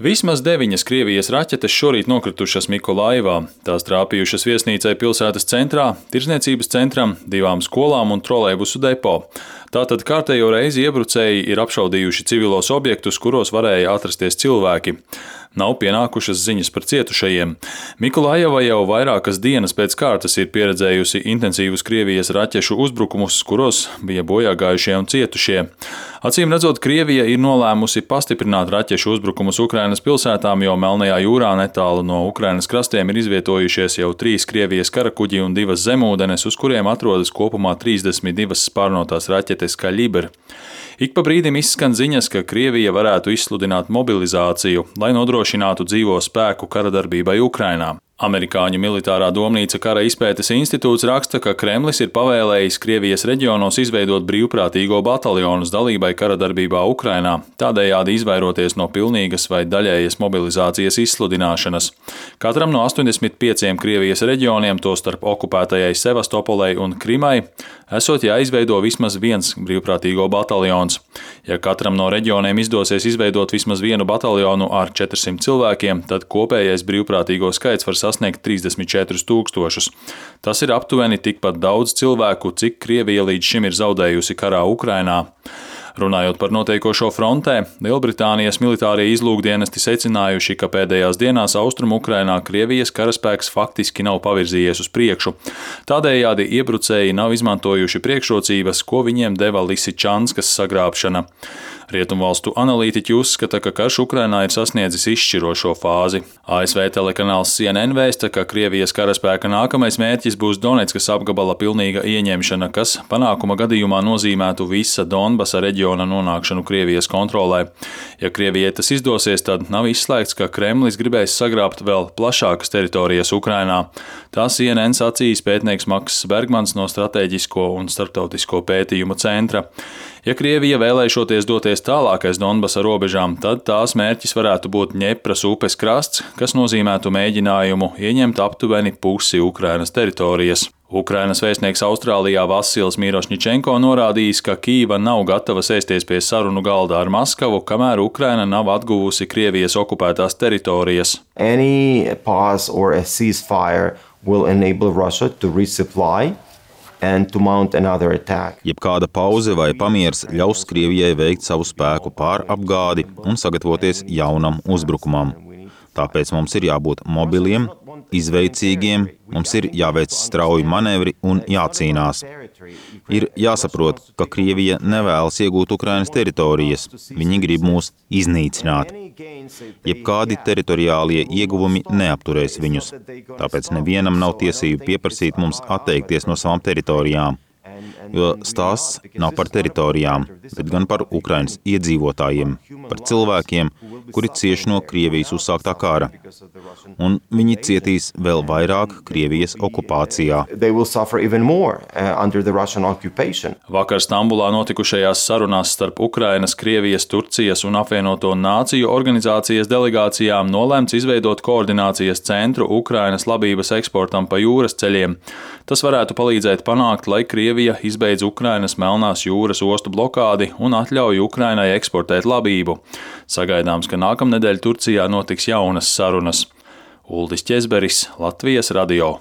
Vismaz 9 Krievijas raķetes šorīt nokritušas Mikolaivā. Tās trāpījušas viesnīcai pilsētas centrā, tirdzniecības centram, 2 skolām un trolejbusu depo. Tātad kārtējo reizi iebrucēji ir apšaudījuši civilos objektus, kuros varēja atrasties cilvēki. Nav pienākušas ziņas par cietušajiem. Mikolaiva jau vairākas dienas pēc kārtas ir pieredzējusi intensīvus Krievijas raķešu uzbrukumus, kuros bija bojāgājušie un cietušie. Acīm redzot, Krievija ir nolēmusi pastiprināt raķešu uzbrukumus Ukrainas pilsētām, jo Melnajā jūrā netālu no Ukrainas krastiem ir izvietojušies jau 3 Krievijas karakuģi un 2 zemūdenes, uz kuriem atrodas kopumā 32 spārnotās raķetes Kaļibr. Ik pa brīdim izskan ziņas, ka Krievija varētu izsludināt mobilizāciju, lai nodrošinātu dzīvo spēku karadarbībai Ukrainā. Amerikāņu militārā domnīca Kara izpētes institūts raksta, ka Kremlis ir pavēlējis Krievijas reģionos izveidot brīvprātīgo bataljonus dalībai karadarbībā Ukrainā, tādējādi izvairoties no pilnīgas vai daļējas mobilizācijas izsludināšanas. Katram no 85 Krievijas reģioniem, tostarp okupētajai Sevastopolei un Krimai, esot jāizveido vismaz viens brīvprātīgo bataljons. Ja katram no reģioniem izdosies izveidot vismaz vienu bataljonu ar 400 cilvēkiem, tad kopējais brīvprātīgo skaits var sasniegt 34 000. Tas ir aptuveni tikpat daudz cilvēku, cik Krievija līdz šim ir zaudējusi karā Ukrainā. Runājot par notiekošo frontē, Lielbritānijas militārie izlūkdienesti secinājuši, ka pēdējās dienās Austrumu Ukrainā Krievijas karaspēks faktiski nav pavirzījies uz priekšu. Tādējādi iebrucēji nav izmantojuši priekšrocības, ko viņiem deva Lisičanskas sagrābšana. Rietumvalstu analītiķi uzskata, ka karš Ukrainā ir sasniedzis izšķirošo fāzi. ASV telekanāls CNN vēsta, ka Krievijas karaspēka nākamais mērķis būs Donetskas apgabala pilnīga ieņemšana, kas panākuma gadījumā nozīmētu visa Donbasa reģiona nonākšanu Krievijas kontrolē. Ja Krievijai tas izdosies, tad nav izslēgts, ka Kremlis gribēs sagrābt vēl plašākas teritorijas Ukrainā. Tā CNN sacījis pētnieks Makss Bergmans no Stratēģisko un starptautisko pētījumu centra. Ja Krievija vēlēšoties doties tālāk aiz Donbasa robežām, tad tās mērķis varētu būt Ņepras upes krasts, kas nozīmētu mēģinājumu ieņemt aptuveni pusi Ukrainas teritorijas. Ukrainas vēstnieks Austrālijā Vasils Mirošņičenko norādījis, ka Kīva nav gatava sēsties pie sarunu galda ar Maskavu, kamēr Ukraina nav atguvusi Krievijas okupētās teritorijas. Any pause or a ceasefire will enable Russia to resupply and to mount another attack. Jebkāda pauze vai pamiers ļaus Krievijai veikt savu spēku pārapgādi un sagatavoties jaunam uzbrukumam. Tāpēc mums ir jābūt mobiliem, izveicīgiem, mums ir jāveic strauji manevri un jācīnās. Ir jāsaprot, ka Krievija nevēlas iegūt Ukrainas teritorijas, viņi grib mūs iznīcināt. Jebkādi teritoriālie ieguvumi neapturēs viņus, tāpēc nevienam nav tiesību pieprasīt mums atteikties no savām teritorijām. Jo stāsts nav par teritorijām, bet gan par Ukrainas iedzīvotājiem, par cilvēkiem, kuri cieš no Krievijas uzsāktā kara. Un viņi cietīs vēl vairāk Krievijas okupācijā. Vakar Stambulā notikušajās sarunās starp Ukrainas, Krievijas, Turcijas un Apvienoto Nāciju organizācijas delegācijām nolēmts izveidot koordinācijas centru Ukrainas labības eksportam pa jūras ceļiem. Tas varētu palīdzēt panākt, lai Krievija izbeidz Ukrainas Melnās jūras ostu blokādi un atļauj Ukrainai eksportēt labību. Sagaidāms, ka nākamnedēļ Turcijā notiks jaunas sarunas. Uldis Ķezberis, Latvijas radio.